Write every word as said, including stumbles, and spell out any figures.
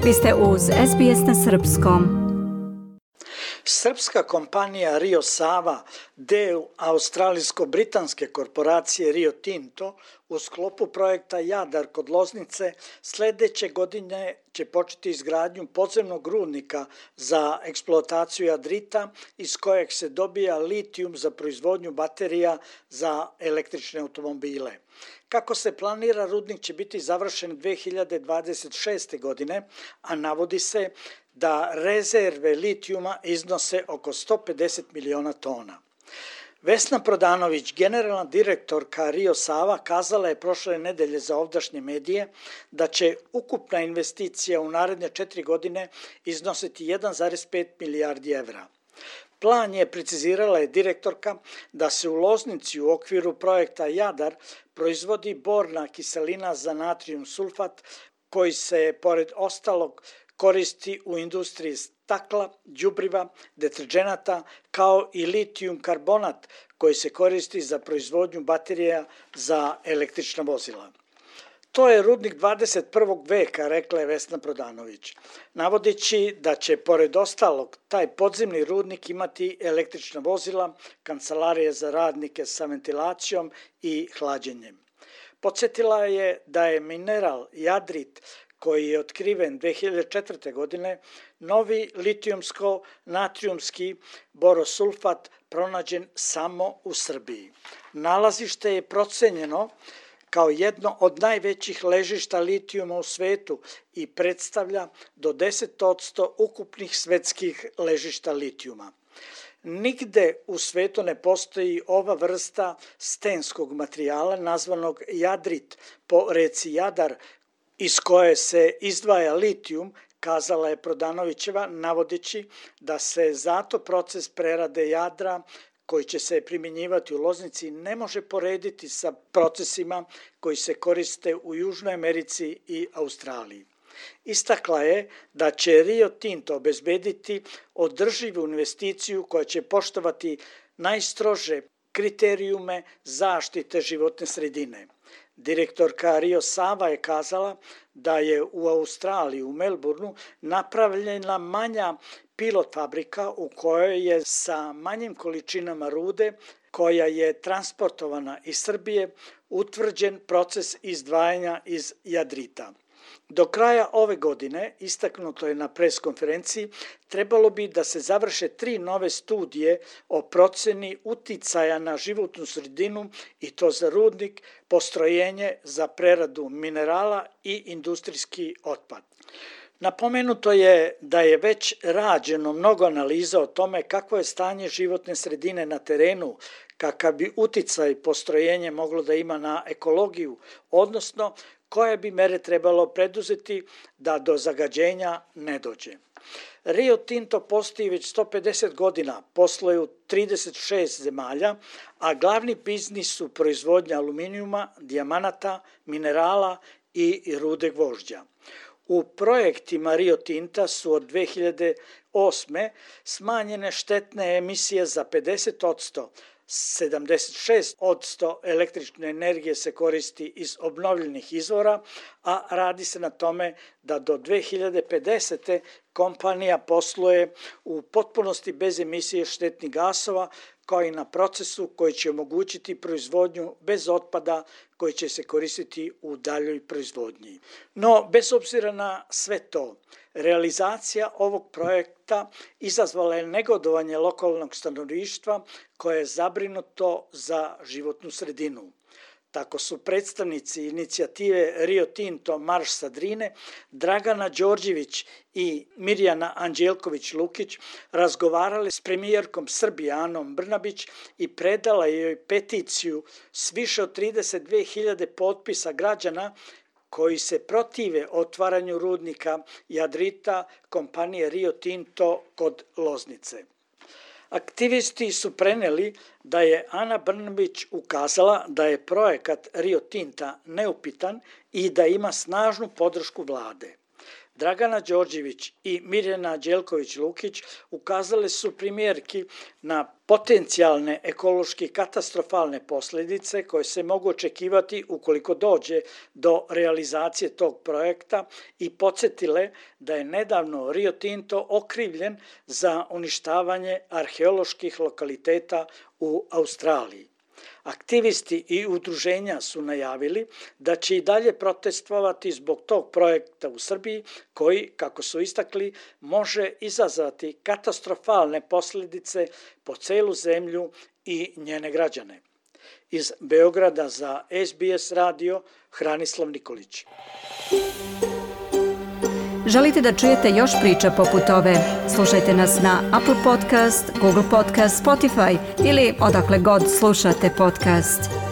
Vi ste uz es be es na srpskom. Srpska kompanija Rio Sava, deo australijsko-britanske korporacije Rio Tinto, u sklopu projekta Jadar kod Loznice sledeće godine će početi izgradnju podzemnog rudnika za eksploataciju jadrita iz kojeg se dobija litijum za proizvodnju baterija za električne automobile. Kako se planira, rudnik će biti završen dve hiljade dvadeset šeste. godine, a navodi se da rezerve litijuma iznose oko sto pedeset miliona tona. Vesna Prodanović, generalna direktorka Rio Sava, kazala je prošle nedelje za ovdašnje medije da će ukupna investicija u naredne četiri godine iznositi jedan zarez pet milijardi evra. Plan je, precizirala je direktorka, da se u Loznici u okviru projekta Jadar proizvodi borna kiselina za natrijum sulfat, koji se, pored ostalog, koristi u industriji stakla, đubriva, deterdženata, kao i litijum karbonat koji se koristi za proizvodnju baterija za električna vozila. To je rudnik dvadeset prvog veka, rekla je Vesna Prodanović, navodeći da će, pored ostalog, taj podzemni rudnik imati električna vozila, kancelarije za radnike sa ventilacijom i hlađenjem. Podsjetila je da je mineral jadrit, koji je otkriven dve hiljade četvrte. godine, novi litijumsko-natrijumski borosulfat pronađen samo u Srbiji. Nalazište je procenjeno kao jedno od najvećih ležišta litijuma u svetu i predstavlja do deset posto ukupnih svetskih ležišta litijuma. Nigde u svetu ne postoji ova vrsta stenskog materijala nazvanog jadrit po reci Jadar, iz koje se izdvaja litijum, kazala je Prodanovićeva, navodeći da se zato proces prerade jadra koji će se primjenjivati u Loznici ne može porediti sa procesima koji se koriste u Južnoj Americi i Australiji. Istakla je da će Rio Tinto obezbediti održivu investiciju koja će poštovati najstrože kriterijume zaštite životne sredine. Direktorka Rio Sava je kazala da je u Australiji, u Melbourneu, napravljena manja pilot fabrika u kojoj je sa manjim količinama rude, koja je transportovana iz Srbije, utvrđen proces izdvajanja iz jadrita. Do kraja ove godine, istaknuto je na pres konferenciji, trebalo bi da se završe tri nove studije o proceni uticaja na životnu sredinu i to za rudnik, postrojenje za preradu minerala i industrijski otpad. Napomenuto je da je već rađeno mnogo analiza o tome kakvo je stanje životne sredine na terenu, kakav bi uticaj postrojenje moglo da ima na ekologiju, odnosno koje bi mere trebalo preduzeti da do zagađenja ne dođe. Rio Tinto postoji već sto pedeset godina, posluje u trideset šest zemalja, a glavni biznis su proizvodnja aluminijuma, dijamanata, minerala i rude gvožđa. U projektima Rio Tinta su od dve hiljade osme. smanjene štetne emisije za pedeset posto, sedamdeset šest posto električne energije se koristi iz obnovljenih izvora, a radi se na tome da do dve hiljade pedesete. kompanija posluje u potpunosti bez emisije štetnih gasova, kao i na procesu koji će omogućiti proizvodnju bez otpada koji će se koristiti u daljoj proizvodnji. No, bez obzira na sve to, realizacija ovog projekta izazvala je negodovanje lokalnog stanovništva koje je zabrinuto za životnu sredinu. Tako su predstavnici inicijative Rio Tinto Marš sa Drine, Dragana Đorđević i Mirjana Anđelković-Lukić razgovarali s premijerkom Srbije Anom Brnabić i predala joj peticiju s više od trideset dve hiljade potpisa građana koji se protive otvaranju rudnika jadrita kompanije Rio Tinto kod Loznice. Aktivisti su preneli da je Ana Brnabić ukazala da je projekat Rio Tinta neupitan i da ima snažnu podršku vlade. Dragana Đorđević i Mirjana Đelković-Lukić ukazale su primjerki na potencijalne ekološki katastrofalne posljedice koje se mogu očekivati ukoliko dođe do realizacije tog projekta i podsjetile da je nedavno Rio Tinto okrivljen za uništavanje arheoloških lokaliteta u Australiji. Aktivisti i udruženja su najavili da će i dalje protestovati zbog tog projekta u Srbiji koji, kako su istakli, može izazvati katastrofalne posljedice po celu zemlju i njene građane. Iz Beograda za S B S radio, Hranislav Nikolić. Želite da čujete još priča poput ove? Slušajte nas na Apple Podcast, Google Podcast, Spotify ili odakle god slušate podcast.